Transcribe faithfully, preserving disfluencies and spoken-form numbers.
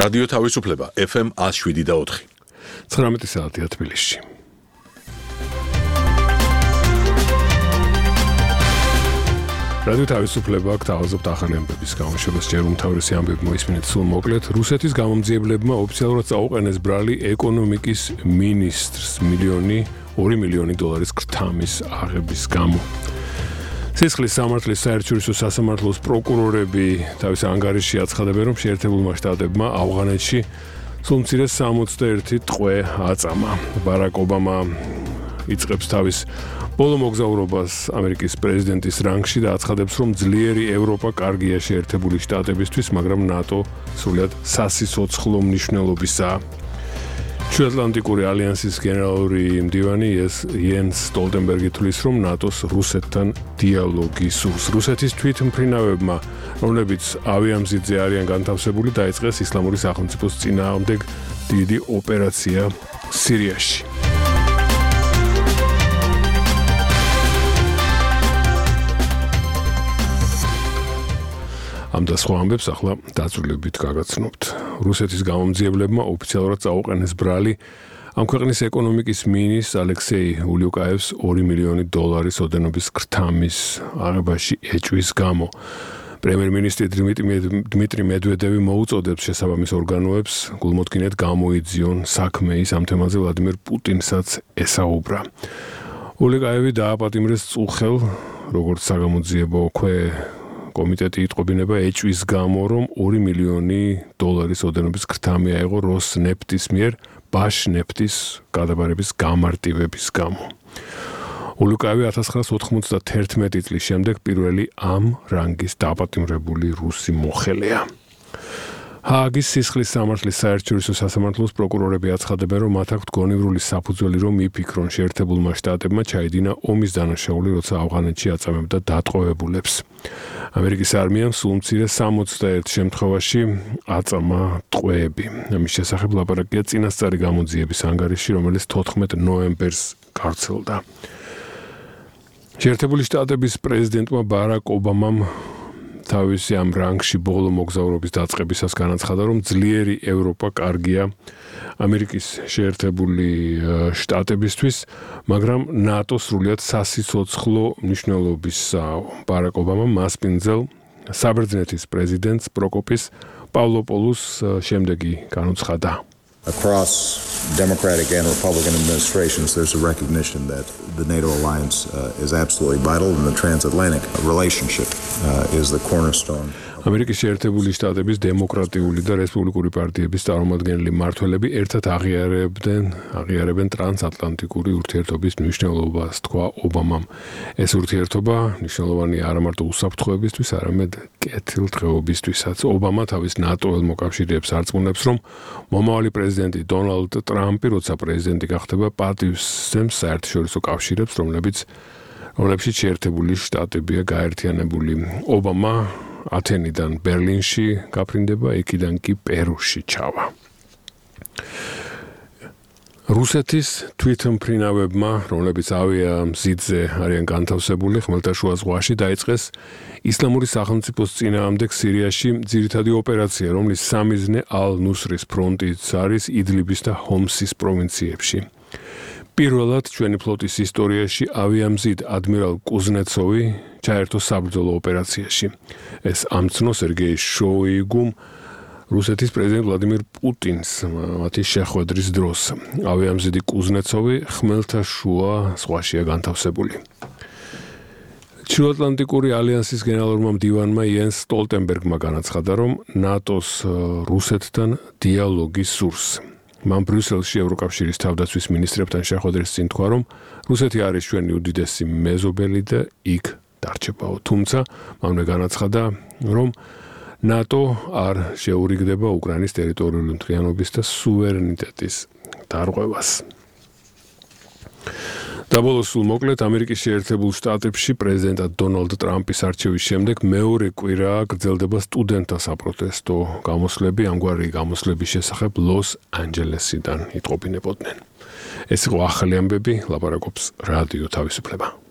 რადიო თავისუფლება ეფ ემ ათს შვიდი და ოთხი. ცხრამეტი საათია თბილისში. რადიო თავისუფლება გთავაზობთ ახალი ამბების გამოშვებას. ჯერ უმთავრესი ამბები მოისმინეთ სულ მოკლედ. რუსეთის გამომძიებლებმა ოფიციალურად წაუყენეს ბრალი ეკონომიკის მინისტრს მილიონი ორი მილიონი დოლარის ქრთამის აღების გამო. სისხლის სამართლის საერთაშორისო სასამართლოს პროკურორები თავის ანგარიშში აცხადებენ, რომ შეერთებულმა შტატებმა ავღანეთში სულ მცირე სამოცდაერთი ტყვე აწამა. ბარაკ ობამა იწყებს თავის ბოლო მოგზაურობას ამერიკის პრეზიდენტის რანგში და აცხადებს, რომ ძლიერი ევროპა კარგია შეერთებული შტატებისთვის, მაგრამ ნატო სრულად სასიცოცხლო მნიშვნელობისაა. ჩრდილოატლანტიკური ალიანსის გენერალური მდივანი იენს სტოლტენბერგი თვლის, რომ ნატოს რუსეთთან დიალოგი სურს. რუსეთის თვითმფრინავებმა, რომლებიც ავიამზიდზე არიან განთავსებული, დაიწყეს ისლამური სახელმწიფოს წინააღმდეგ დიდი ოპერაცია სირიაში. ამ და სხვა ამბებს ახლა დაწვრილებით გაგაცნობთ. რუსეთის გამომძიებლებმა ოფიციალურად წაუყენეს ბრალი ამ ქვეყნის ეკონომიკის მინისტრ ალექსეი ულიუკაევს ორი მილიონი დოლარის ოდენობის ქრთამის აღებაში ეჭვის გამო. პრემიერ-მინისტრი დმიტრი მედვედევი მოუწოდებს შესაბამის ორგანოებს გულმოდგინედ გამოიძიონ საქმე ის ამ თემაზე ვლადიმერ პუტინსაც ესაუბრა. ულიუკაევი დააპატიმრეს წუხელ, როგორც საგამოძიებო ქვე კომიტეტი იტყობინება ეჭვის გამო, რომ ორი მილიონი დოლარის ოდენობის ქრთამი აიღო როსნეფტის მიერ ბაშნეფტის გადაბარების გამარტივების გამო. ულიუკაევი ათას ცხრაას ოთხმოცდაათერთმეტი წლის შემდეგ პირველი ამ რანგის დაპატიმრებული რუსი მოხელეა. ჰააგის სისხლის სამართლის საერთაშორისო სასამართლოს პროკურორები აცხადებენ, რომ მათ აქვთ გონივრული საფუძველი, რომ იფიქრონ შეერთებულმა შტატებმა ჩაიდინა ომის დანაშაული, როცა ავღანეთში აწამებდა დატყვევებულებს. ამერიკის არმიამ სულ მცირე სამოცდაერთ შემთხვევაში აწამა ტყვეები. ამის შესახებ ლაპარაკია წინასწარი გამოძიების ანგარიში, რომელიც თოთხმეტ ნოემბერს გავრცელდა. შეერთებული შტატების პრეზიდენტმა ბარაკ ობამამ თავისი ამ რანგში ბოლო მოგზაურობის დაწყებისას განაცხადა, რომ ძლიერი ევროპა კარგია ამერიკის შეერთებული შტატებისთვის, მაგრამ ნატო სრულად სასიცოცხლო მნიშვნელობისაა. ბარაკ ობამამ მასპინძელ საბერძნეთის პრეზიდენტს პროკოპის პავლოპოლუს შემდეგი განუცხადა. Across Democratic and Republican administrations, there's a recognition that the NATO alliance uh, is absolutely vital, and the transatlantic relationship uh, is the cornerstone. ამერიკის შეერთებული შტატების დემოკრატიული და რესპუბლიკური პარტიების წარმომადგენელი მმართველები ერთად აღიარებდნენ, აღიარებენ ტრანსატლანტიკური ურთიერთობის მნიშვნელობას, თქვა ობამამ. ეს ურთიერთობა მნიშვნელოვანია არა მარტო უსაფრთხოებისთვის, არამედ კეთილდღეობისთვისაც. ობამა თავის ნატოელ მოკავშირეებს არწმუნებს, რომ მომავალი პრეზიდენტი დონალდ ტრამპი, როცა პრეზიდენტი გახდება, პატივს სცემს საერთაშორისო კავშირებს, რომლებიც რომლებშიც შეერთებული შტატებია გაერთიანებული. ობამა ათენიდან ბერლინში გაფრინდება, იქიდან კი პერუში ჩავა. რუსეთის თვითმფრინავებმა, რომლებიც ავიამზიდზე არიან განთავსებული, ხმელთაშუა ზღვაში დაიწყეს ისლამური სახელმწიფოს წინააღმდეგ სირიაში ძირითადი ოპერაცია, რომლის სამიზნე ალ-ნუსრის ფრონტიც არის იდლიბის და ჰომსის პროვინციებში. პირველად ჩვენი ფლოტის ისტორიაში ავიამზიდ ადმირალ კუზნეცოვი ჩაერთო საბრძოლო ოპერაციაში. ეს ამცნო სერგეი შოიგუმ რუსეთის პრეზიდენტ ვლადიმირ პუტინს მათი შეხვედრის დროს. ავიამზიდი კუზნეცოვი ხმელთაშუა ზღვაშია განთავსებული. ჩრდილოატლანტიკური ალიანსის გენერალურმა მდივანმა იენს სტოლტენბერგმა განაცხადა, რომ ნატოს რუსეთთან დიალოგი სურს. მან ბრიუსელში ევროკავშირის თავდაცვის მინისტრებთან შეხვედრის წინ თქვა, რომ რუსეთი არის ჩვენი უდიდესი მეზობელი და იქ დარჩებაო. თუმცა მანვე განაცხადა, რომ ნატო არ შეურიგდება უკრაინის ტერიტორიული მთლიანობის და სუვერენიტეტის დარღვევას. დაბოლოს სულ მოკლედ ამერიკის შეერთებულ შტატებში პრეზიდენტად დონალდ ტრამპის არჩევის შემდეგ მეორე კვირა გრძელდება სტუდენტთა საპროტესტო გამოსვლები. ამგვარი გამოსვლების შესახებ ლოს-ანჯელესიდან იტყობინებოდნენ. ეს იყო ახალი ამბები, ლაპარაკობს რადიო თავისუფლება.